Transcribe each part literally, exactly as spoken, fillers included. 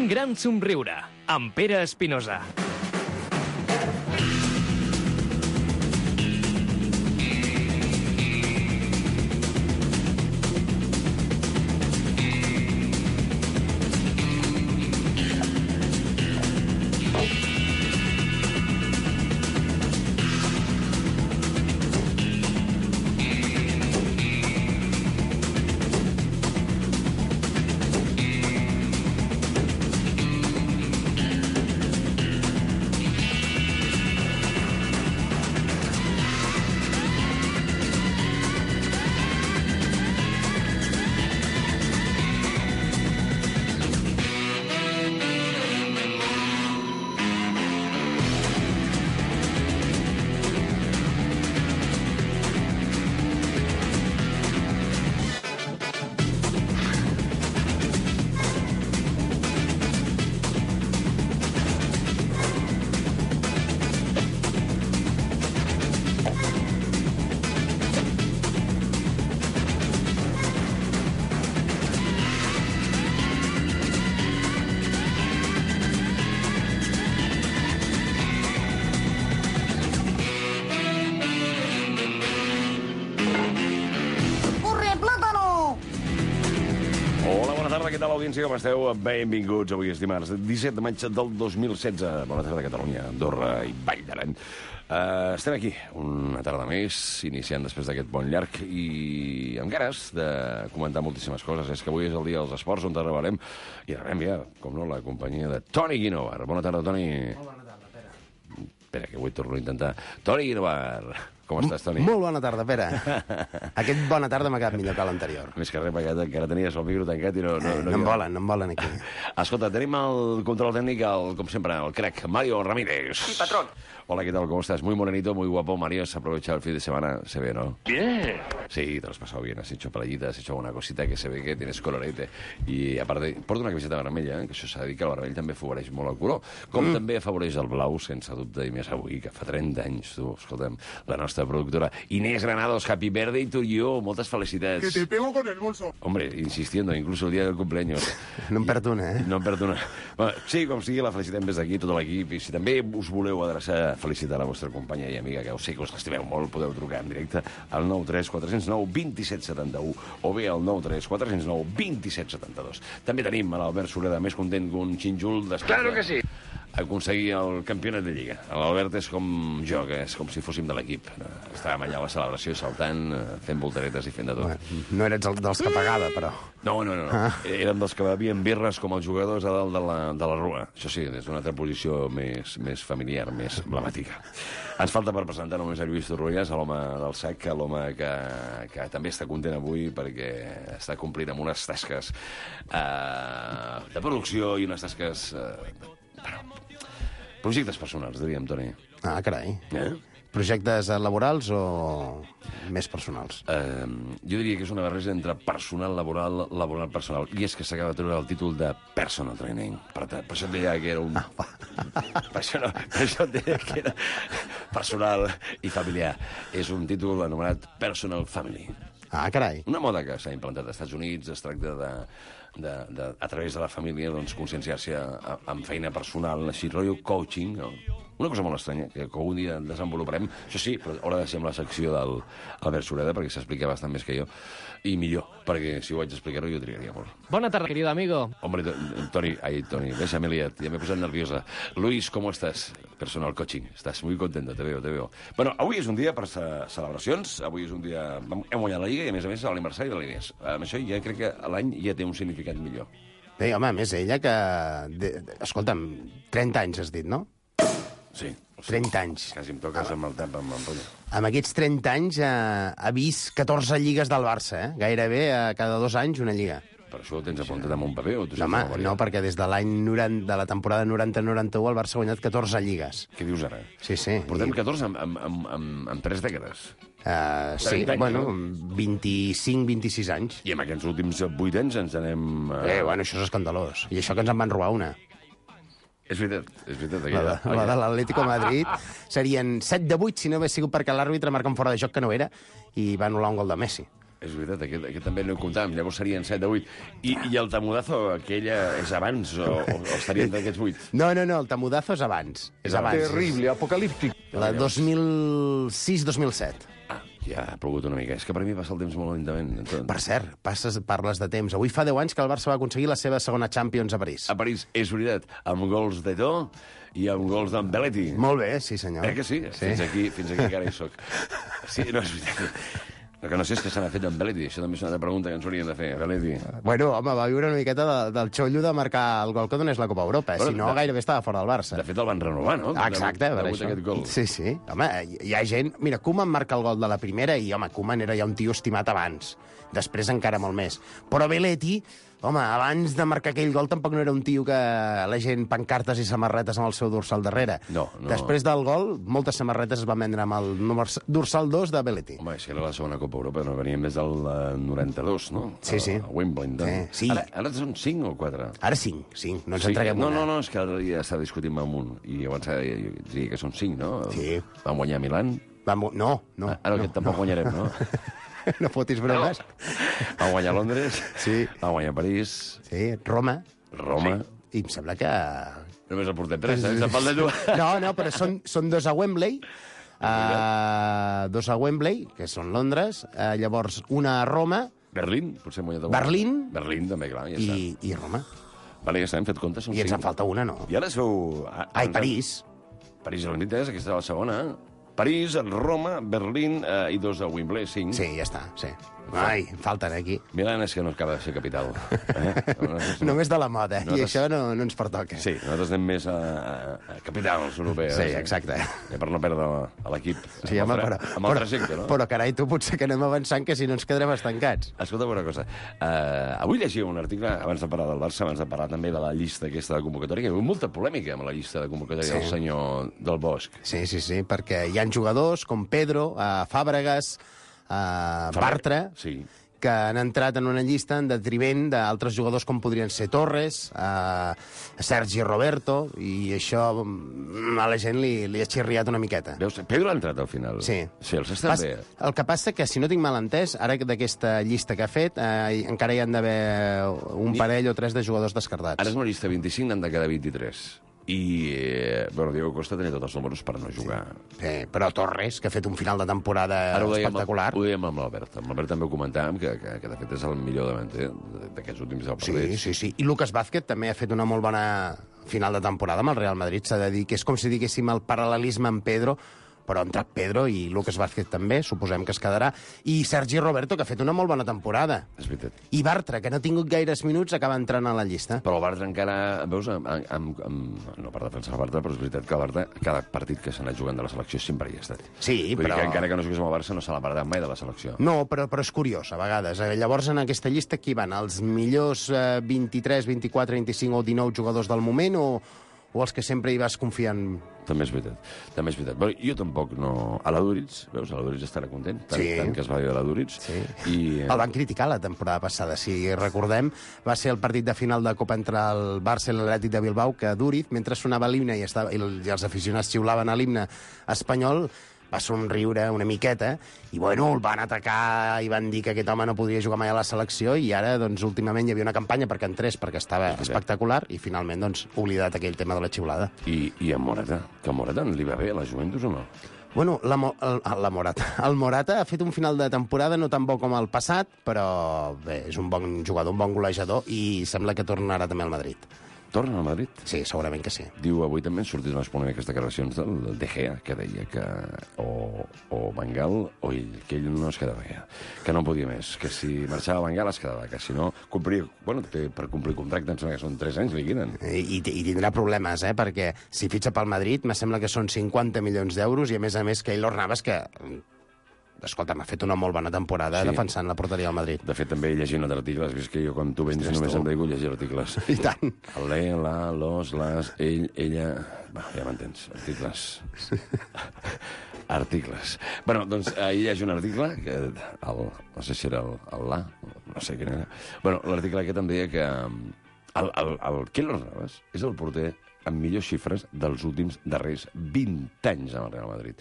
Un gran somriure, amb Pere Espinosa. Què tal, audiència? Com esteu? Benvinguts. Avui és dimarts, disset de maig del dos mil setze. Bona tarda, Catalunya, Andorra i Vall d'Aran. Uh, estem aquí, una tarda més, iniciant després d'aquest bon llarg i amb ganes de comentar moltíssimes coses. És que avui és el dia dels esports, on rebrem, i rebrem ja, com no, la companyia de Toni Guinovar. Bona tarda, Toni. Molt bona tarda, Pere. Espera, que avui torno a intentar. Toni Guinovar. Com estàs, Toni? Molt bona tarda, Pere. Aquest bona tarda m'ha quedat millor que l'anterior. Més que res, perquè encara tenies el micro tancat i no... No, eh, no, no em volen, no em volen aquí. Escolta, tenim el control tècnic, el, com sempre, el crack Mario Ramírez. Sí, patrón. Hola, ¿qué tal? ¿Cómo estás? Muy morenito, muy guapo, Mario. ¿Has aprovechado el fin de semana? Se ve, ¿no? Bien. Sí, te lo has pasado bien. Has hecho playita, has hecho alguna cosita que se ve que tienes colorete. I, a part de... Porta una camiseta vermella, eh? Que això s'ha de dir que el vermell també afavoreix molt el color. Com mm. també afavoreix el blau, sense dubte, i més avui, que fa trenta anys, tu, escolta'm, la nostra productora Inés Granados, happy birthday to you. Moltes felicitats. Que te pego con el bolso. Hombre, insistiendo, incluso el día del cumpleaños. No em perd una, eh? No em perd una. Bueno, sí, com sigui, la felicitem des d'aquí, tot l'equip. I si també us voleu adreçar a felicitar la vostra companya i amiga, que ho sé que us l'estimeu molt, podeu trucar en directe al nou tres quatre zero nou dos set set u o bé al nou tres quatre zero nou dos set set dos. També tenim a l'Albert Sureda, més content que un xinjul després Claro que sí. aconseguir el campionat de Lliga. L'Albert és com jo, que és com si fóssim de l'equip. Estàvem allà a la celebració saltant, fent voltaretes i fent de tot. Bueno, no eres el dels que pagava, però... No, no, no. no. Ah. Érem dels que bevien birres com els jugadors a dalt de la, de la rua. Això sí, des d'una altra posició més, més familiar, més emblemàtica. Ens falta per presentar només a Lluís Torroelles, l'home del sac, l'home que, que també està content avui perquè està complint amb unes tasques eh, de producció i unes tasques... Eh, bueno, projectes personals, diríem, Toni. Ah, carai. Eh? Projectes laborals o més personals? Eh, jo diria que és una barreja entre personal, laboral, laboral, personal. I és que s'acaba de treure el títol de personal training. Per, per això et deia que era un... Ah, per, això no, per això et deia que era personal i familiar. És un títol anomenat Personal Family. Ah, carai. Una moda que s'ha implantat als Estats Units, es tracta de, de, de a través de la família, doncs, conscienciar-se amb feina personal, així, rotllo coaching, no? Una cosa molt estranya, que algun dia desenvoluparem. Això sí, però haurà de ser amb la secció del Albert Sureda, perquè s'explica bastant més que jo, i millor, perquè si ho vaig explicar-ho jo trigaria molt. Bona tarda, querido amigo. Hombre, Toni, ai, Toni, déjame liat, ja m'he posat nerviosa. Luis, ¿cómo estás? Personal coaching, estàs muy contento, te veo, te veo. Bueno, avui és un dia per celebracions, avui és un dia... Hem guanyat la Lliga i, a més a més, l'aniversari de l'Inés. Amb això ja crec que l'any ja té un significat millor. Bé, home, a més, ella que... De... Escolta'm, trenta anys has dit, no? Sí. trenta anys. Quasi em toques amb el tap amb l'ampolla. Amb aquests trenta anys eh, ha vist catorze lligues del Barça, eh? Gairebé eh, cada dos anys una lliga. Per això ho tens apuntat amb un paper? O tu no, home, no, perquè des de l'any noranta, de la temporada noranta noranta u el Barça ha guanyat catorze lligues. Què dius ara? Sí, sí. Portem I... catorze amb, amb, amb, amb, amb tres dècades. Uh, sí, anys, bueno, no? vint-i-cinc vint-i-sis anys. I en aquests últims vuit anys ens anem... Uh... Eh, bueno, això és escandalós. I això que ens en van robar una. És veritat, és veritat. La, de, la de l'Atlético Madrid serien set de vuit si no hagués sigut perquè l'àrbitre marca un fora de joc que no era i va anul·lar un gol de Messi. És veritat, aquest, aquest també no ho comptàvem, llavors serien set de vuit. I, i el Tamudazo, aquella, és abans o, o, o estarien d'aquests vuit? No, no, no, el Tamudazo és abans. És abans. Terrible, apocalíptic. La dos mil sis dos mil set. Ah, ja ha plogut una mica. És que per mi passa el temps molt lentament. Entonces... Per cert, passes, parles de temps. Avui fa deu anys que el Barça va aconseguir la seva segona Champions a París. A París, és veritat, amb gols d'Eto i amb gols d'en Belletti. Molt bé, sí senyor. Eh que sí? sí? Fins aquí, fins aquí encara hi soc. Sí, no, és veritat. El que no sé és què se n'ha fet amb Belletti. Això també és una altra pregunta que ens haurien de fer. Belletti. Bueno, home, va viure una miqueta de, del xollo de marcar el gol que donés la Copa Europa. Bueno, si no, de... gairebé estava fora del Barça. De fet, el van renovar, no? Exacte, per això. Aquest gol. Sí, sí. Home, hi ha gent... Mira, Koeman marca el gol de la primera i, home, Koeman era ja un tio estimat abans. Després encara molt més. Però Belletti, home, abans de marcar aquell gol tampoc no era un tio que la gent pancartes i samarretes amb el seu dorsal darrere. No, no. Després del gol, moltes samarretes es van vendre amb el dorsal dos de Belletti. Home, si era la segona Copa Europa, no veníem des del uh, noranta-dos, no? Sí, sí. A Wimbledon. Sí, sí. Ara, ara són cinc o quatre? Ara cinc, cinc. No ens Sí, entreguem no, una. no, no, és que ara ja està discutint amb un. I abans ja diria que són cinc, no? Sí. Van guanyar a Milan. Vam... No, no. Ara no, aquest tampoc no. guanyarem, no? No fotis bromes. Van guanyar a Londres. Sí. Van guanyar a París. Sí, Roma. Roma. I em sembla que... Només el portem tres, eh? Se'n falta tu. No, no, però són, són dos a Wembley, uh, dos a Wembley, que són Londres, uh, llavors una a Roma, Berlín, potser hem guanyat a Berlín. Berlín, també, clar, ja i, està. i Roma. Vale, ja està, hem fet comptes, són I ens en cinc. falta una, no? I ara sou... Ai, París. París, el vint és, aquesta és la segona. París, Roma, Berlín eh, i dos de Wembley, cinc. Sí, ja està, sí. Ai, em falten aquí. Milán és que no acaba de ser capital. Eh? Nosaltres, Només de la moda, Nosaltres- i això no, no ens pertoca. Sí, nosaltres anem més a, a, a capitals europees. Sí, exacte. Eh, per no perdre a l'equip. Sí, amb, home, el, tra- però, amb el però, trajecte, no? però carai, tu potser que anem avançant, que si no ens quedarem estancats. Escolta'm una cosa. Uh, avui llegia un article, abans de parlar del Barça, abans de parlar també de la llista aquesta de convocatòria, que hi ha hagut molta polèmica amb la llista de convocatòria Sí. del senyor del Bosch. Sí, sí, sí, perquè hi ha jugadors com Pedro, uh, Fàbregas, uh, Bartra, Sí. que han entrat en una llista en detriment d'altres jugadors com podrien ser Torres, eh, Sergi Roberto, i això mm, a la gent li, li ha xirriat una miqueta. Veus, Pedro ha entrat al final. Sí. Sí, els estan Pas, bé. el que passa que, si no tinc mal entès, ara d'aquesta llista que ha fet, eh, encara hi han d'haver un Ni- parell o tres de jugadors descartats. Ara és una llista vint-i-cinc, n'han de quedar vint-i-tres. I, eh, bueno, Diego Costa tenia tots els números per no jugar. Sí, però Torres, que ha fet un final de temporada Ara ho dèiem, espectacular. ho dèiem amb l'Albert. Amb l'Albert també ho comentàvem, que, que, que de fet és el millor davanter d'aquests últims deu Sí, partits. sí, sí. I Lucas Vázquez també ha fet una molt bona final de temporada amb el Real Madrid. S'ha de dir que és com si diguéssim el paral·lelisme amb Pedro, però ha entrat Pedro i Lucas Vázquez també, suposem que es quedarà. I Sergi Roberto, que ha fet una molt bona temporada. És veritat. I Bartra, que no ha tingut gaires minuts, acaba entrant a la llista. Però el Bartra encara, veus, amb, amb, amb, no per defensar el Bartra, però és veritat que el Bartra, cada partit que s'ha anat jugant de la selecció sempre hi ha estat. Sí, Vull però... dir que encara que no jugués amb el Barça no se l'ha perdut mai de la selecció. No, però, però és curiós, a vegades. Eh, Llavors, en aquesta llista, qui van? Els millors eh, vint-i-tres, vint-i-quatre, vint-i-cinc o dinou jugadors del moment o, o els que sempre hi vas confiant? També és veritat. També és veritat. Bueno, jo tampoc no... A la Duritz, veus, a la Duritz estarà content, tant, Sí. tant que es va dir de la Duritz. Sí. I, eh, El van criticar la temporada passada, si recordem. Va ser el partit de final de Copa entre el Barça i l'Atlètic de Bilbao, que Duriz, mentre sonava l'himne i, estava, i els aficionats xiulaven a l'himne espanyol, va somriure una miqueta i, bueno, el van atacar i van dir que aquest home no podria jugar mai a la selecció i ara, doncs, últimament hi havia una campanya perquè entrés perquè estava espectacular i, finalment, doncs, oblidat aquell tema de la xiulada. i, i en Morata, que en Morata li va bé a la Juventus o no? Bueno, la, Mo- el, la Morata. El Morata ha fet un final de temporada no tan bo com el passat, però bé, és un bon jugador, un bon golejador i sembla que tornarà també al Madrid. Torna al Madrid? Sí, segurament que sí. Diu, avui també han sortit unes polèmiques declaracions del, del De Gea, que deia que o, o Bengal o ell, que ell no es quedava ja, que no podia més, que si marxava a Bengal es quedava, que si no complia, bueno, té, per complir contracte em sembla que són tres anys, li queden. I, i, i tindrà problemes, eh? Perquè si fitxa pel Madrid, me sembla que són cinquanta milions d'euros i, a més a més, que Keylor Navas, que, escolta, m'ha fet una molt bona temporada Sí. sí. defensant la porteria del Madrid. De fet, també llegint els articles, has vist que jo quan tu vens Ostres, només tu. em dedico a llegir articles. I tant. El le, la, los, les, ell, ella... Bueno, ja m'entens, articles. Articles. Bueno, doncs ahir hi ha un article, que el, no sé si era el, el la, no sé quin era. Bueno, l'article aquest em deia que el, el, el Keylor Navas és el porter amb millors xifres dels últims darrers vint anys amb el Real Madrid.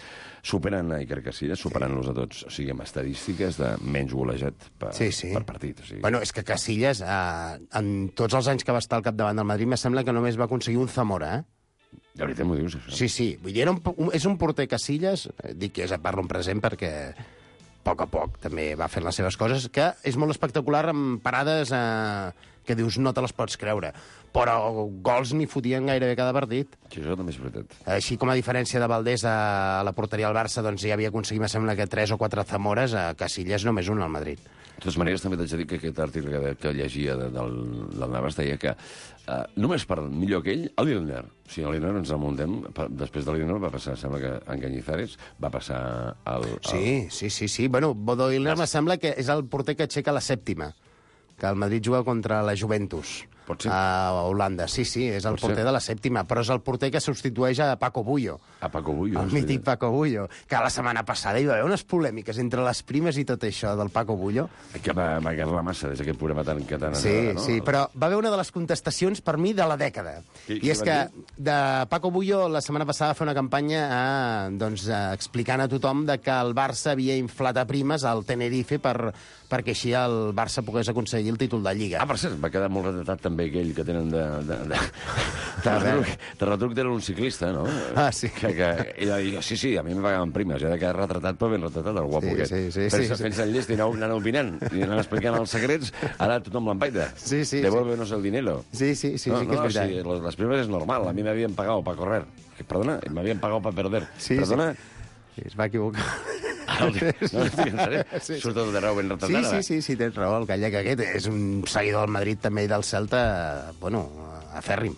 Superen a Iker Casillas, superant-los a tots, o sigui, amb estadístiques de menys golejat per, sí, sí. per partit. O sigui... Bueno, és que Casillas, eh, en tots els anys que va estar al capdavant del Madrid, me sembla que només va aconseguir un Zamora, eh? De veritat m'ho dius, això? Sí, sí. Vull dir, era un, un, és un porter Casillas, eh, dic que és a parlo en present perquè a poc a poc també va fent les seves coses, que és molt espectacular amb parades eh, que dius no te les pots creure. Però gols n'hi fotien gairebé cada partit. Sí, això també és veritat. Així com a diferència de Valdés a la porteria al Barça, doncs ja havia aconseguit, me sembla que tres o quatre Zamores, a Casillas només un al Madrid. De totes maneres, també t'haig de dir que aquest article que, que llegia de, del, del Navas deia que uh, només per millor que ell, el Lilner. O sigui, el Lilner ens remuntem, per, després del Lilner va passar, sembla que en Cañizares va passar al... al... Sí, sí, sí, sí. Bueno, Bodo Lilner me sembla que és el porter que aixeca la sèptima, que el Madrid juga contra la Juventus. Pot ser? A Holanda, sí, sí, és el Pot porter ser. de la sèptima, però és el porter que substitueix a Paco Bullo. A Paco Bullo. El mític Paco Bullo, que la setmana passada hi va haver unes polèmiques entre les primes i tot això del Paco Bullo. Que va, va agarrar massa des d'aquest programa tan... Que tan Sí, anava, no? sí, però va haver una de les contestacions per mi de la dècada. Qui- I qui és va que dir? de Paco Bullo la setmana passada va fer una campanya eh, doncs, eh, explicant a tothom de que el Barça havia inflat a primes al Tenerife per, perquè així el Barça pogués aconseguir el títol de Lliga. Ah, per cert, va quedar molt retratat també aquell que tenen de... de, de, de, retruc, de retruc era un ciclista, no? Ah, sí. Que, que ell va dir, sí, sí, a mi em pagaven primes, ja de quedar retratat, però ben retratat, el guapo Sí, aquest. sí, sí, Fent-se sí, sí. fent el llest i anant, anant opinant, i anant explicant els secrets, ara tothom l'empaita. Sí, sí, Devuélvenos el dinero. Sí, sí, sí, no, sí que és no, veritat. sí, los- las primas es normal, a mi m'havien pagat para correr. Perdona, m'havien pagat para perder. Sí, Perdona, Sí, es va equivocar. Ara, no, no, en sèrio, Sí, sí. surt tot de raó ben Sí, retratat, sí, sí, sí, tens raó. El gallec aquest és un seguidor del Madrid també i del Celta, bueno, afèrrim.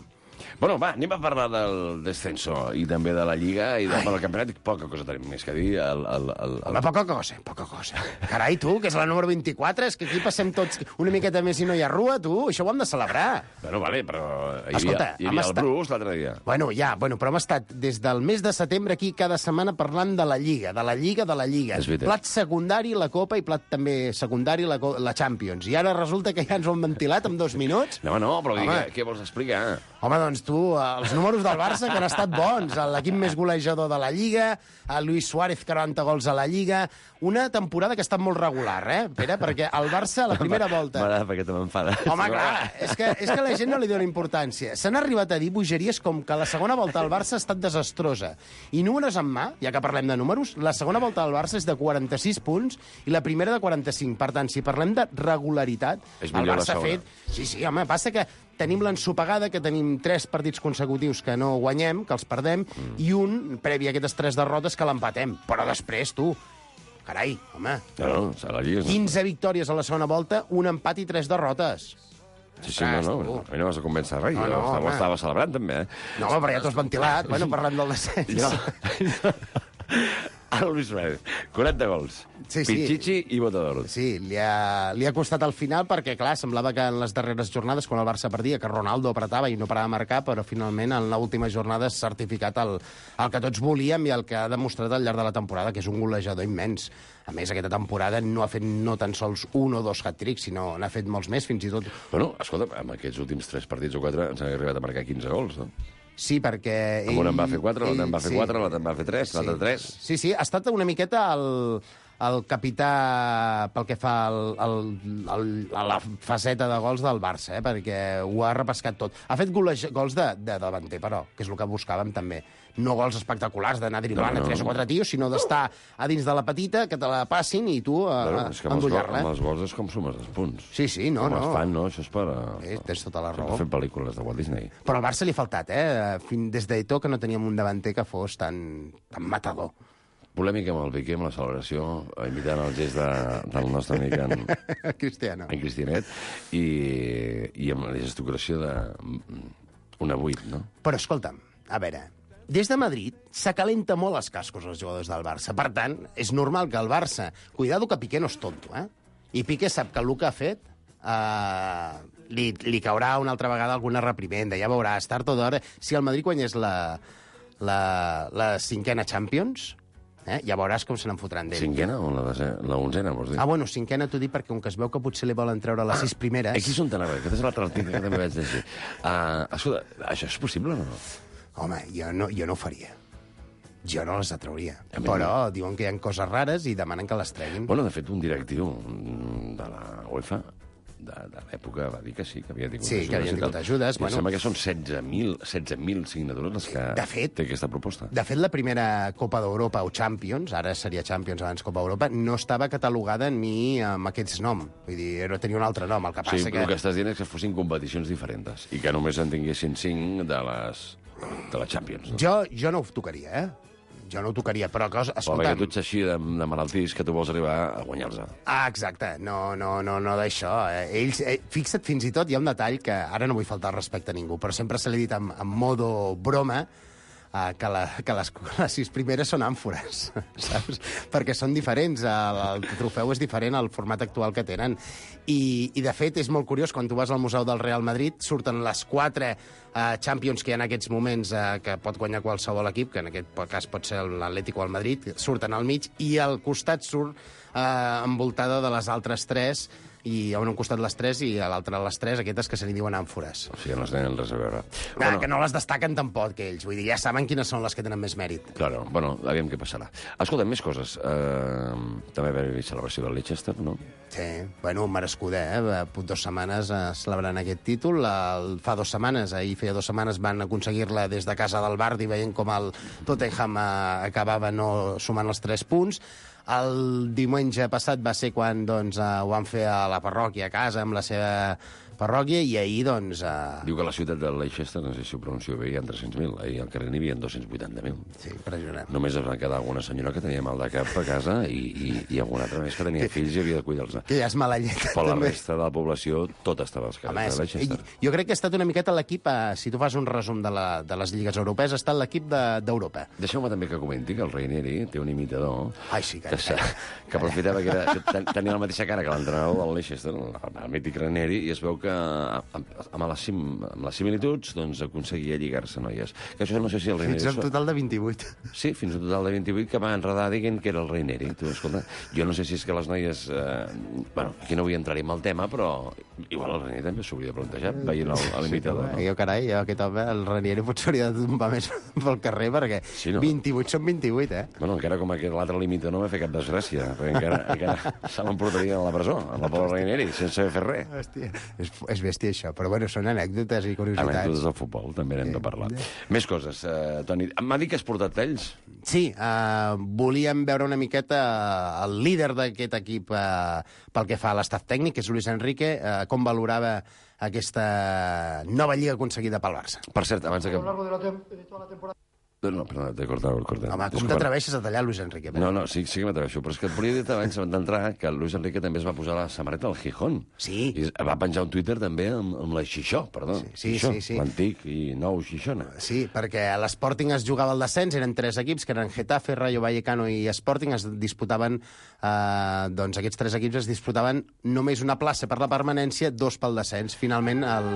Bueno, va, anem a parlar del descenso i també de la Lliga i del campionat. Poca cosa tenim més que dir. El, el, el, el... Home, poca cosa, poca cosa. Carai, tu, que és la número vint-i-quatre, és que aquí passem tots una miqueta més i no hi ha rua, tu, això ho hem de celebrar. Bueno, vale, però hi havia, Escolta, hi hem havia el estat- Bruce l'altre dia. Bueno, ja, bueno, però hem estat des del mes de setembre aquí cada setmana parlant de la Lliga, de la Lliga, de la Lliga. És veritat. Plat secundari, la Copa, i plat també secundari, la, co- la Champions. I ara resulta que ja ens ho han ventilat en dos minuts. No, no, però Home. digue, què vols explicar? Home, doncs tu, els números del Barça que han estat bons, l'equip més golejador de la Lliga, el Luis Suárez, quaranta gols a la Lliga, una temporada que ha estat molt regular, eh, Pere? Perquè el Barça, a la primera volta... M'agrada perquè te m'enfada. Home, clar, és que, és que la gent no li dona importància. S'han arribat a dir bogeries com que la segona volta del Barça ha estat desastrosa. I números en mà, ja que parlem de números, la segona volta del Barça és de quaranta-sis punts i la primera de quaranta-cinc. Per tant, si parlem de regularitat, És el millor la Barça ha segona. fet... Sí, sí, home, passa que tenim l'ensopegada, que tenim tres partits consecutius que no guanyem, que els perdem, mm. i un, previ a aquestes tres derrotes, que l'empatem. Però després, tu, carai, home, No, no, a la Lliga... quinze victòries a la segona volta, un empat i tres derrotes. Sí, sí, no, no, tu. a mi no vas a convèncer res. No, Jo no, estava, home. estava celebrant, també, eh? No, home, però ja t'ho has ventilat. Bueno, parlem del descens. Jo... Ara el Luis Suárez, quaranta gols. Sí, sí. Pichichi i Botador. Sí, li ha, li ha costat al final perquè, clar, semblava que en les darreres jornades, quan el Barça perdia, que Ronaldo apretava i no parava de marcar, però finalment en l'última jornada s'ha certificat el, el que tots volíem i el que ha demostrat al llarg de la temporada, que és un golejador immens. A més, aquesta temporada no ha fet no tan sols un o dos hat-tricks, sinó n'ha fet molts més, fins i tot... Bueno, escolta, amb aquests últims tres partits o quatre ens han arribat a marcar quinze gols, no? Sí, perquè... Amb un en va fer quatre, l'altre en va ell- fer quatre, l'altre en va fer tres, l'altre tres. Sí, sí, ha estat una miqueta el, el capità pel que fa al, al, al, a la faceta de gols del Barça, eh, perquè ho ha repescat tot. Ha fet goles, gols de, de davanter, però, que és el que buscàvem també. No gols espectaculars d'anar driblant No, no, a tres o no. quatre tios, sinó d'estar a dins de la petita, que te la passin i tu a, Bueno, a és que amb els, gols, endollar-la. amb els gols és com sumes els punts. Sí, sí, no, com no. es fan, no? Això és per... Sí, tens tota la per raó. fer pel·lícules de Walt Disney. Però al Barça li ha faltat, eh? Fin, des d'Eto que no teníem un davanter que fos tan, tan matador. Polèmica amb el Piqué, amb la celebració, imitant el gest de, del nostre amic en, Cristiano. en Cristianet, i, i amb la gestocració de una vuit, no? Però escolta'm, a veure, des de Madrid s'acalenta molt els cascos els jugadors del Barça. Per tant, és normal que el Barça... Cuidado que Piqué no és tonto, eh? I Piqué sap que el que ha fet eh, li, li caurà una altra vegada alguna reprimenda. Ja veuràs, tard o d'hora, si el Madrid guanyés la, la, la cinquena Champions, Eh? Ja veuràs com se n'en fotran d'ell. Cinquena o la, desena, la onzena, vols dir? Ah, bueno, cinquena t'ho dic perquè com que es veu que potser li volen treure les sis primeres... Aquí són tan arrel, aquest és l'altre article que també vaig llegir. Uh, escolta, això és possible o no? Home, jo no, jo no ho faria. Jo no les atrauria. A mi Però diuen que hi ha coses rares i demanen que les treguin. Bueno, de fet, un directiu de la UEFA de, de l'època va dir que sí, que havia tingut Sí, ajudes. que havien tingut ajudes. I Bueno, em sembla que són setze mil signatures les que De fet- té aquesta proposta. De fet, la primera Copa d'Europa o Champions, ara seria Champions abans Copa d'Europa, no estava catalogada ni amb aquests noms. Vull dir, era- tenia un altre nom. El que passa Sí, que... el que estàs dient és que fossin competicions diferents i que només en tinguessin cinc de les, de les Champions. No? Jo, jo no ho tocaria, eh? Jo no ho tocaria, però cosa... Però perquè Escolta'm... tu ets així de, de malaltís que tu vols arribar a guanyar-los. Ah, exacte. No, no, no, no d'això. Eh, ells, eh, fixa't, fins i tot hi ha un detall que ara no vull faltar al respecte a ningú, però sempre se l'he dit en, en modo broma, Uh, que, la, que les, les sis primeres són àmfores, saps? Perquè són diferents, el, el trofeu és diferent al format actual que tenen. I, I, de fet, és molt curiós, quan tu vas al Museu del Real Madrid, surten les quatre uh, Champions que hi ha en aquests moments uh, que pot guanyar qualsevol equip, que en aquest cas pot ser l'Atlético o el Madrid, surten al mig, i al costat surt uh, envoltada de les altres tres, i a un costat les tres i a l'altre les tres, aquestes que se li diuen àmfores. O sigui, no es tenen res a veure. Ah, bueno, que no les destaquen tampoc, que ells. Vull dir, ja saben quines són les que tenen més mèrit. Claro, bueno, aviam què passarà. Escolta, més coses. Uh, també va haver celebració del Leicester, no? Sí, bueno, merescuda, eh? Dos setmanes eh, celebrant aquest títol. El, fa dues setmanes, ahir feia dues setmanes, van aconseguir-la des de casa del Bardi, veient com el Tottenham eh, acabava no sumant els tres punts. El diumenge passat va ser quan doncs, eh, ho van fer a la parròquia, a casa, amb la seva parròquia, i ahir, doncs... Eh... Diu que a la ciutat de Leicester, no sé si ho pronuncio bé, hi ha tres-cents mil. Ahir al carrer n'hi havia dos-cents vuitanta mil. Sí, impressionant. Només es va quedar alguna senyora que tenia mal de cap a casa i, i, i alguna altra més que tenia fills i havia de cuidar-los. Que ja és mala llet. Però la també. resta de la població, tot estava als carrers Home, de és, Leicester. jo crec que ha estat una miqueta l'equip, eh, si tu fas un resum de, la, de les lligues europees, ha estat l'equip d'Europa. De, Deixeu-me també que comenti que el Ranieri té un imitador Ai, sí, que... que, se, que aprofitava que, era, que ten, tenia la mateixa cara que l'entrenador del Leicester, el, el mític Ranieri, i es veu que amb, amb, les, sim, amb les similituds doncs, aconseguia lligar-se noies. Que això no sé si el Ranieri... Fins a un total de vint-i-vuit. Sí, fins a un total de vint-i-vuit que va enredar dient que era el Ranieri. Tu, escolta, jo no sé si és que les noies... Eh, bueno, aquí no vull entrar-hi amb el tema, però igual el Ranieri també s'hauria de plantejar, veient l'imitador. Sí, no? Jo, carai, jo, aquest home, el Ranieri potser hauria de tombar més pel carrer, perquè Sí, no? vint-i-vuit són vint-i-vuit, eh? Bueno, encara com aquest l'altre l'imitador no m'ha fet cap desgràcia, perquè encara, encara se l'emportaria a la presó, a la Paula Ranieri, sense haver fet res. Hòstia, és, és bèstia, això. Però, bueno, són anècdotes i curiositats. Anècdotes del futbol, també n'hem de parlar. Més coses, uh, Toni. M'ha dit que has portat talls? Sí, uh, volíem veure una miqueta uh, el líder d'aquest equip uh, pel que fa a l'estat tècnic, que és Luis Enrique, uh, com valorava aquesta nova lliga aconseguida pel Barça. Per cert, abans de que... A lo largo de, la tem de toda la temporada. No, perdona, t'he cortat, t'he cortat. Home, com Disculpa. t'atreveixes a tallar Luis Enrique? No, no, sí, sí que m'atreveixo, però és que et volia dir abans d'entrar que el Luis Enrique també es va posar la samarreta al Gijón. Sí. I va penjar un Twitter també amb, amb la Xixó, perdó. Sí, sí, Xixó, sí, sí. l'antic i nou Xixona. Sí, perquè a l'Sporting es jugava el descens, eren tres equips, que eren Getafe, Rayo Vallecano i Sporting, es disputaven, eh, doncs aquests tres equips es disputaven només una plaça per la permanència, dos pel descens. Finalment, el,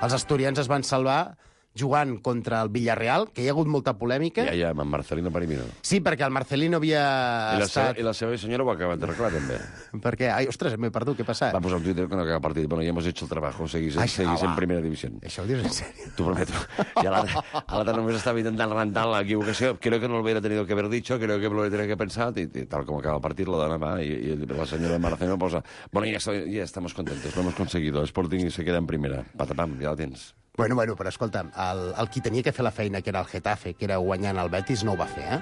els asturians es van salvar jugant contra el Villarreal, que hi ha hagut molta polèmica. Ja, ja, amb en Marcelino Parimino. Sí, perquè el Marcelino havia I la, seva, estat... I la seva senyora ho ha acabat d'arreglar, també. Perquè, ai, ostres, m'he perdut, què ha passat? Va posar un Twitter que no acaba el partit. Bueno, ya hemos hecho el trabajo, seguís, Ai, seguís ah, en va. primera división. Això ho dius en sèrio? T'ho prometo. I a l'altre a l'altre només estava intentant rentar l'equivocació. Creo que no lo hubiera tenido que haber dicho, creo que lo hubiera tenido que pensar, y, y tal como acaba el partit, la dona va, y, y la señora Marcelino posa, bueno, ya, estoy, ya estamos contentos, lo hemos conseguido, el Sporting se queda en primera. Patapam, ja la tens. Bueno, bueno, però escolta'm, el, el qui tenia que fer la feina, que era el Getafe, que era guanyant el Betis, no ho va fer, eh?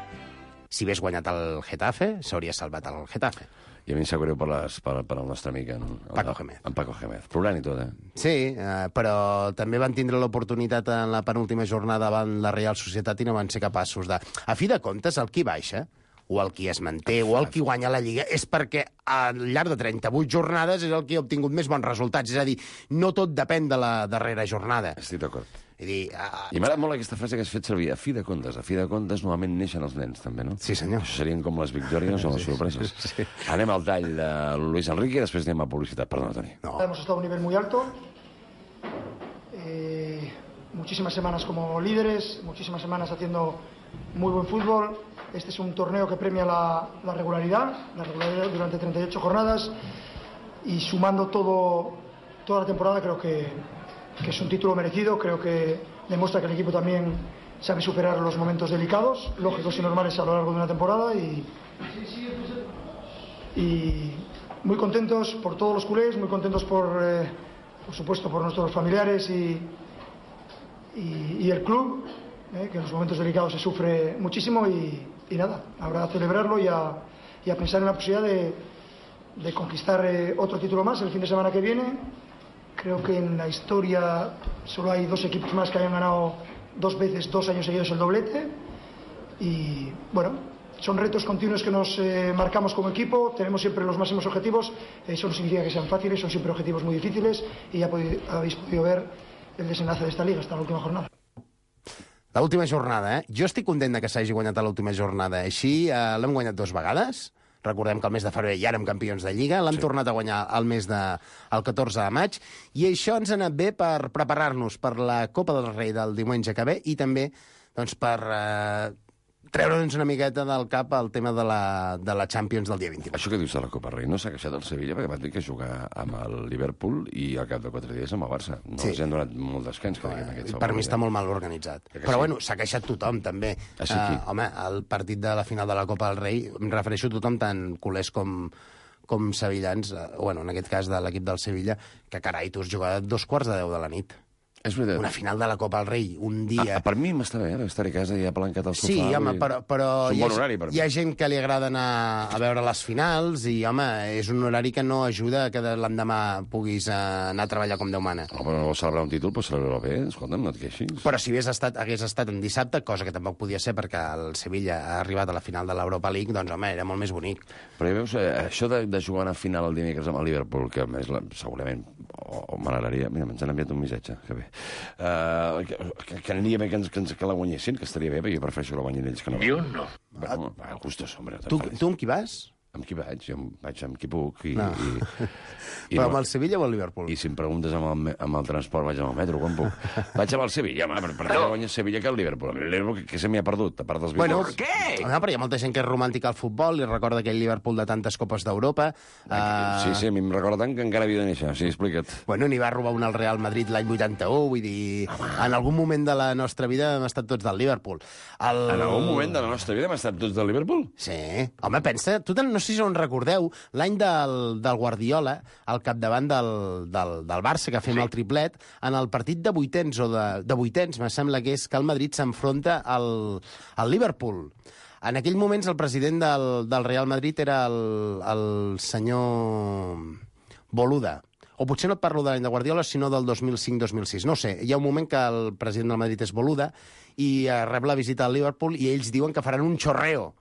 Si hagués guanyat el Getafe, s'hauria salvat el Getafe. I a mi em sap greu per, les, per, per el nostre amic, en, Paco Gémez. En Paco Gémez. Plorant i tot, eh? Sí, eh, però també van tindre l'oportunitat en la penúltima jornada davant la Real Societat i no van ser capaços de... A fi de comptes, el qui baixa, o el qui es manté, o el qui guanya la Lliga, és perquè al llarg de trenta-vuit jornades és el qui ha obtingut més bons resultats. És a dir, no tot depèn de la darrera jornada. Estic d'acord. És a dir, uh, I m'agrada molt aquesta frase que has fet servir, a fi de comptes. A fi de comptes, normalment neixen els nens, també, no? Sí, senyor. Això serien com les victòries o les sorpreses. Sí. Anem al tall de Luis Enrique i després anem a publicitat. Perdona, Toni. no. Hemos estado a un nivel muy alto. Eh, muchísimas semanas como líderes, muchísimas semanas haciendo muy buen fútbol. Este es un torneo que premia la, la regularidad, la regularidad durante treinta y ocho jornadas, y sumando todo, toda la temporada creo que, que es un título merecido. Creo que demuestra que el equipo también sabe superar los momentos delicados, lógicos y normales a lo largo de una temporada, y, y muy contentos por todos los culés, muy contentos por, eh, por supuesto por nuestros familiares y, y, y el club, eh, que en los momentos delicados se sufre muchísimo, y, y nada, habrá a celebrarlo y a, y a pensar en la posibilidad de, de conquistar eh, otro título más el fin de semana que viene. Creo que en la historia solo hay dos equipos más que hayan ganado dos veces, dos años seguidos el doblete, y bueno, son retos continuos que nos eh, marcamos como equipo. Tenemos siempre los máximos objetivos, eh, eso no significa que sean fáciles, son siempre objetivos muy difíciles, y ya pod- habéis podido ver el desenlace de esta liga hasta la última jornada. L'última jornada, eh? Jo estic content de que s'hagi guanyat a l'última jornada. Així eh, l'hem guanyat dues vegades. Recordem que el mes de febrer ja érem campions de Lliga. L'hem sí. tornat a guanyar el mes de, el catorze de maig. I això ens ha anat bé per preparar-nos per la Copa del Rei del diumenge que ve, i també doncs, per eh, treure'ns una miqueta del cap el tema de la, de la Champions del dia vint-i-vuit. Això que dius de la Copa Rei no s'ha queixat el Sevilla, perquè van dir que jugar amb el Liverpool i al cap de quatre dies amb el Barça. No sí. els han donat molt descans, que diguem, aquest Per mi està molt mal organitzat. Però sí. bueno, s'ha queixat tothom, també. Ah, sí, uh, home, el partit de la final de la Copa del Rei, em refereixo a tothom, tant culers com, com sevillans, uh, bueno, en aquest cas de l'equip del Sevilla, que carai, tu has jugat dos quarts de deu de la nit. És veritat. Una final de la Copa del Rei, un dia... Ah, per mi m'està bé, eh? Estar a casa i apalancat al sofà. Sí, home, però, però és un hi, ha, bon horari, per mi. hi ha gent que li agrada anar a veure les finals, i, home, és un horari que no ajuda que l'endemà puguis anar a treballar com Déu mana. No, però no vols celebrar un títol, però celebrar-ho bé, escolta'm, no et queixis. Però si hagués estat, hagués estat en dissabte, cosa que tampoc podia ser perquè el Sevilla ha arribat a la final de l'Europa League, doncs, home, era molt més bonic. Però ja veus, eh, això de, de jugar a final el dimecres amb el Liverpool, que a més la, segurament o, o m'agradaria... Mira, ens han enviat un missatge, que bé. Uh, que, que, que aniria bé que, ens, que, ens, que la guanyessin, que estaria bé, perquè jo prefereixo que la guanyin ells que no. Jo no. Bueno, va, gustos, hombre. Tu, tu amb qui vas? Amb qui vaig? Jo vaig amb qui puc. I, No. i, i Però no, amb el Sevilla o el Liverpool? I si em preguntes amb el, me- amb el transport, vaig amb el metro, quan puc. Vaig amb el Sevilla, home, per, per no. guanyar Sevilla que el Liverpool. El Liverpool que, que se m'hi ha perdut, a part dels Bueno, Beatles. Què? No, però hi ha molta gent que és romàntica al futbol i recorda aquell Liverpool de tantes copes d'Europa. Uh, Sí, sí, a mi em recorda tant que encara havia de néixer. Sí, explica't. Bueno, n'hi va robar un al Real Madrid l'any vuitanta-u, vull dir... En algun moment de la nostra vida hem estat tots del Liverpool. El... En algun moment de la nostra vida hem estat tots del Liverpool? Sí. Home, pensa, tu te'n- no sé si on recordeu, l'any del, del Guardiola, al capdavant del, del, del Barça, que fem sí. el triplet, en el partit de vuitens, o de, de vuitens, me sembla que és, que el Madrid s'enfronta al, al Liverpool. En aquell moments el president del, del Real Madrid era el, el senyor Boluda. O potser no et parlo de l'any de Guardiola, sinó del dos mil cinc dos mil sis. No ho sé, hi ha un moment que el president del Madrid és Boluda i eh, rep la visita al Liverpool i ells diuen que faran un xorreo.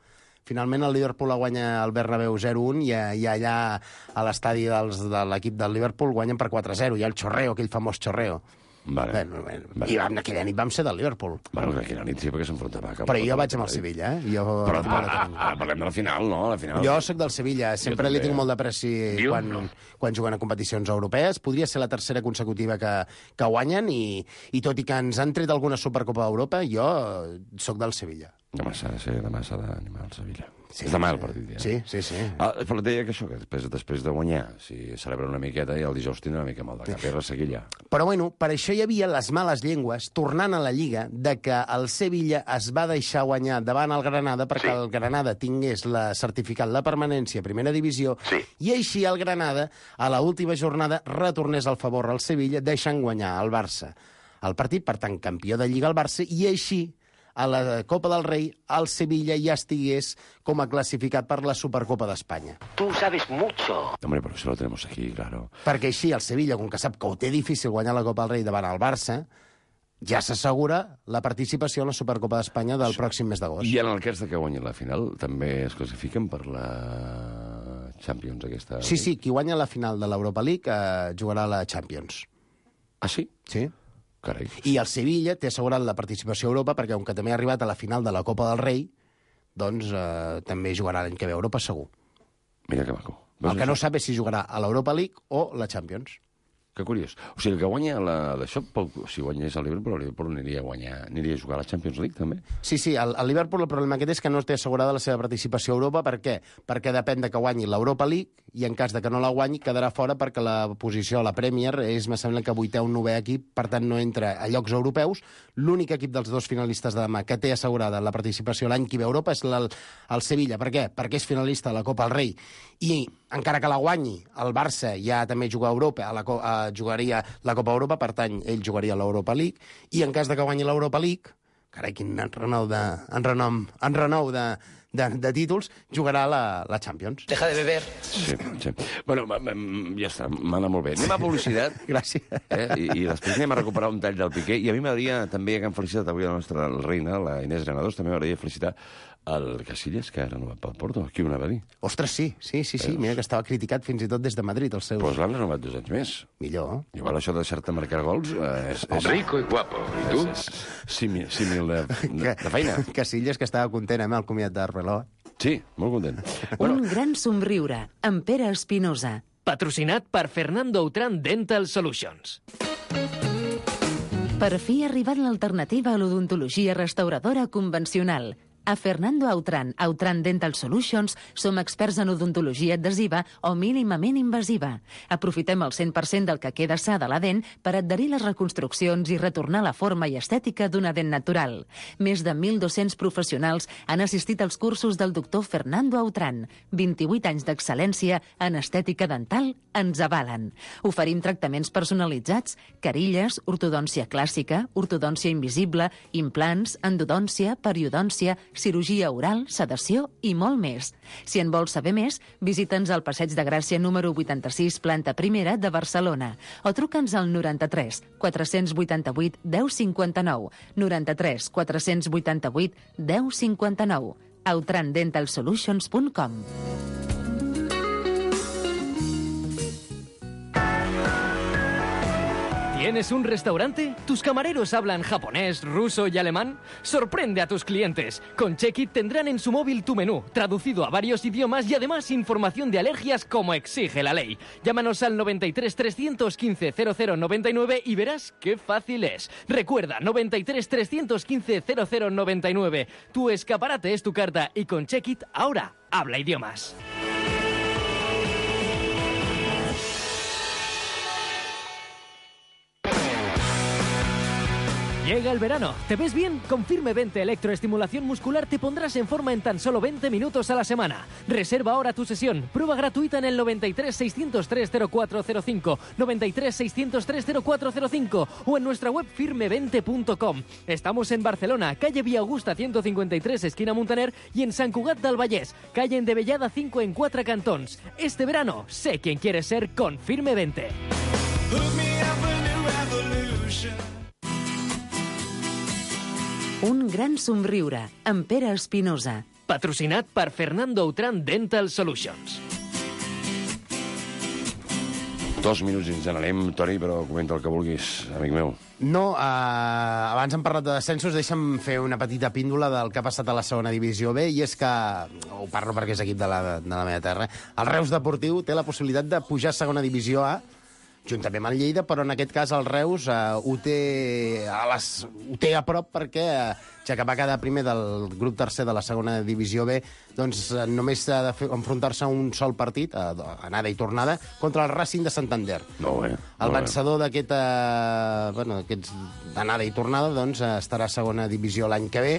Finalment el Liverpool guanya el Bernabéu zero un i, i allà a l'estadi dels, de l'equip del Liverpool guanyen per quatre zero. Hi ha el xorreo, aquell famós xorreo. Vale. Bueno, bueno, Vale. I vam, aquella nit vam ser del Liverpool. Bueno, que aquella nit sí, perquè s'enfrontava. cap- Però jo vaig amb el Sevilla, eh? Jo, Però ara, ara parlem de la final, no? La final. jo sóc del Sevilla, sempre també. li tinc molt d'apreci Jo quan, no. quan juguen a competicions europees. Podria ser la tercera consecutiva que, que guanyen i, i tot i que ens han tret alguna Supercopa d'Europa, jo sóc del Sevilla. Demà s'ha de ser, demà s'ha d'animar el Sevilla. Sí. És demà el partit, ja. Sí, sí, sí. Ah, però et deia que això, que després, després de guanyar, si celebra una miqueta, i el dijous tindrà una mica mal de cap i resseguir ja. Però bueno, per això hi havia les males llengües, tornant a la Lliga, de que el Sevilla es va deixar guanyar davant el Granada perquè sí. el Granada tingués la certificat la permanència a primera divisió Sí. i així el Granada, a la última jornada, retornés al favor al Sevilla deixant guanyar el Barça. El partit, per tant, campió de Lliga el Barça, i així a la Copa del Rei, el Sevilla ja estigués com a classificat per la Supercopa d'Espanya. Tú sabes mucho. Hombre, però això lo tenemos aquí, claro. Perquè així el Sevilla, com que sap que ho té difícil guanyar la Copa del Rei davant el Barça, ja s'assegura la participació en la Supercopa d'Espanya del pròxim mes d'agost. I en el cas de que guanyin la final, també es classifiquen per la Champions aquesta? Sí, sí, qui guanya la final de l'Europa League eh, jugarà a la Champions. Ah, sí? Sí. Carai. I el Sevilla té assegurat la participació a Europa perquè, com que també ha arribat a la final de la Copa del Rei, doncs eh, també jugarà l'any que ve a Europa, segur. Mira que maco. El que no sap és si jugarà a l'Europa League o la Champions. Que curiós. O sigui, el que guanya la, d'això, si guanyés el Liverpool, el Liverpool aniria a guanyar, aniria a jugar a la Champions League, també. Sí, sí, el, el Liverpool el problema aquest és que no té assegurada la seva participació a Europa. Per què? Perquè depèn de que guanyi l'Europa League i en cas de que no la guanyi quedarà fora perquè la posició a la Premier és, me sembla que vuitè o novè equip, per tant no entra a llocs europeus. L'únic equip dels dos finalistes de demà que té assegurada la participació l'any que ve a Europa és el, el Sevilla. Per què? Perquè és finalista de la Copa del Rei i encara que la guanyi, el Barça ja també juga a Europa, a la, a, jugaria la Copa Europa, per tant, ell jugaria a l'Europa League, i en cas de que guanyi l'Europa League, carai, quin renou de, en renom, en renou de, de, de títols, jugarà la, la Champions. Deja de beber. Sí, sí. Bueno, ja està, m'anà molt bé. Anem a publicitat. Gràcies. Eh? I, I després anem a recuperar un tall del Piqué. I a mi m'agradaria també, que han felicitat avui la nostra reina, la Inés Granados, també m'agradaria felicitar el Casillas, que ha renovat pel Porto. Qui ho anava a dir? Ostres, sí, sí, sí, sí. Mira que estava criticat fins i tot des de Madrid, els seus... Doncs l'han renovat dos anys més. Millor. Igual això de deixar-te marcar gols... Eh, és, és, Rico i guapo. I tu? És, és, símil, símil de, de, de feina. Casillas, que estava content, eh, amb el comiat d'Arveló. Sí, molt content. Un gran somriure, amb Pere Espinosa. Patrocinat per Fernando Outram Dental Solutions. Per fi ha arribat l'alternativa a l'odontologia restauradora convencional. A Fernando Outram, Outram Dental Solutions, som experts en odontologia adhesiva o mínimament invasiva. Aprofitem el cent per cent del que queda sa de la dent per adherir les reconstruccions i retornar la forma i estètica d'una dent natural. Més de mil dos-cents professionals han assistit als cursos del doctor Fernando Outram. vint-i-vuit anys d'excel·lència en estètica dental ens avalen. Oferim tractaments personalitzats, carilles, ortodòncia clàssica, ortodòncia invisible, implants, endodòncia, periodòncia, cirurgia oral, sedació i molt més. Si en vols saber més, visita'ns al Passeig de Gràcia número vuitanta-sis, planta primera de Barcelona, o truca'ns al noranta-tres quatre-cents vuitanta-vuit deu cinquanta-nou, noranta-tres quatre-cents vuitanta-vuit deu cinquanta-nou, outram dental solutions punt com. ¿Tienes un restaurante? ¿Tus camareros hablan japonés, ruso y alemán? Sorprende a tus clientes. Con Check-It tendrán en su móvil tu menú, traducido a varios idiomas y además información de alergias como exige la ley. Llámanos al noventa y tres trescientos quince cero cero noventa y nueve y verás qué fácil es. Recuerda, noventa y tres trescientos quince cero cero noventa y nueve. Tu escaparate es tu carta y con Check-It ahora habla idiomas. Llega el verano. ¿Te ves bien? Con Firme veinte Electroestimulación Muscular te pondrás en forma en tan solo veinte minutos a la semana. Reserva ahora tu sesión. Prueba gratuita en el noventa y tres seiscientos tres cero cuatro cero cinco, noventa y tres seiscientos tres cero cuatro cero cinco o en nuestra web firme veinte punto com. Estamos en Barcelona, calle Vía Augusta ciento cincuenta y tres, esquina Muntaner, y en Sant Cugat del Vallès, calle Endevellada cinco en Quatre Cantons. Este verano, sé quién quieres ser con Firme veinte. Un gran somriure, amb Pere Espinosa. Patrocinat per Fernando Outram Dental Solutions. Dos minuts i ens n'anem, Toni, però comenta el que vulguis, amic meu. No, eh, abans hem parlat de descensos, deixa'm fer una petita píndola del que ha passat a la segona divisió B, i és que, ho parlo perquè és equip de la, de la meva terra, el Reus Deportiu té la possibilitat de pujar a segona divisió A, juntament amb el Lleida, però en aquest cas el Reus eh, ho, té a les, ho té a prop perquè, eh, ja que va quedar primer del grup tercer de la segona divisió B, doncs eh, només ha de fer, enfrontar-se a un sol partit, eh, anada i tornada, contra el Racing de Santander. Molt bé. El vencedor d'aquest, eh, bueno, d'aquests anada i tornada doncs, eh, estarà a segona divisió l'any que ve.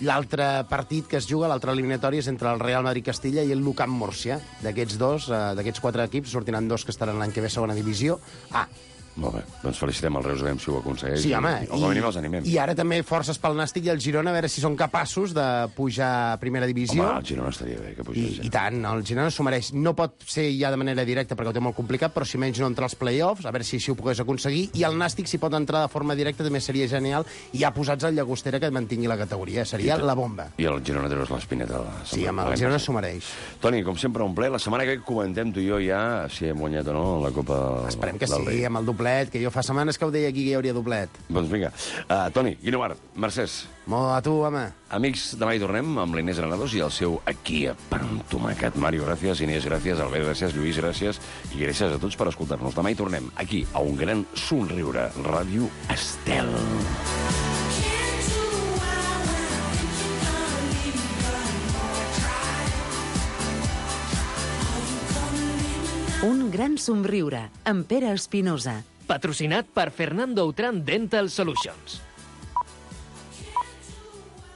L'altre partit que es juga, l'altre eliminatori, és entre el Real Madrid-Castilla i el l'U-Camp Múrcia. D'aquests dos, eh, d'aquests quatre equips, sortiran dos que estaran l'any que ve a segona divisió A. Molt bé, doncs felicitem el Reus, si ho aconsegueix. Sí, home. I, o com a mínim els animem. I ara també forces pel Nàstic i el Girona, a veure si són capaços de pujar a primera divisió. Home, el Girona estaria bé que pugés. I, i tant, el Girona s'ho mereix. No pot ser ja de manera directa perquè ho té molt complicat, però si menys no entra als play-offs, a veure si així ho pogués aconseguir. I el Nàstic, si pot entrar de forma directa, també seria genial. I ja posats al Llagostera que mantingui la categoria. Seria la bomba. I el Girona treus l'espineta. Sí, home, el Girona s'ho mereix. Toni, com sempre, un ple. La setmana que comentem tu i jo ja si hem guanyat o no la Copa Esperem que del sí, Rei. amb el doble doblet, que jo fa setmanes que ho deia aquí que hi hauria doblet. Doncs vinga. Uh, Toni, Guinovart, Mercès. Molt a tu, home. Amics, demà hi tornem amb l'Inés Granados i el seu Aquí a pan amb tomàquet. Mario, gràcies. Inés, gràcies. Albert, gràcies. Lluís, gràcies. I gràcies a tots per escoltar-nos. Demà hi tornem, aquí, a un gran somriure. Ràdio Estel. Un gran somriure, amb Pere Espinosa. Patrocinat per Fernando Outram Dental Solutions.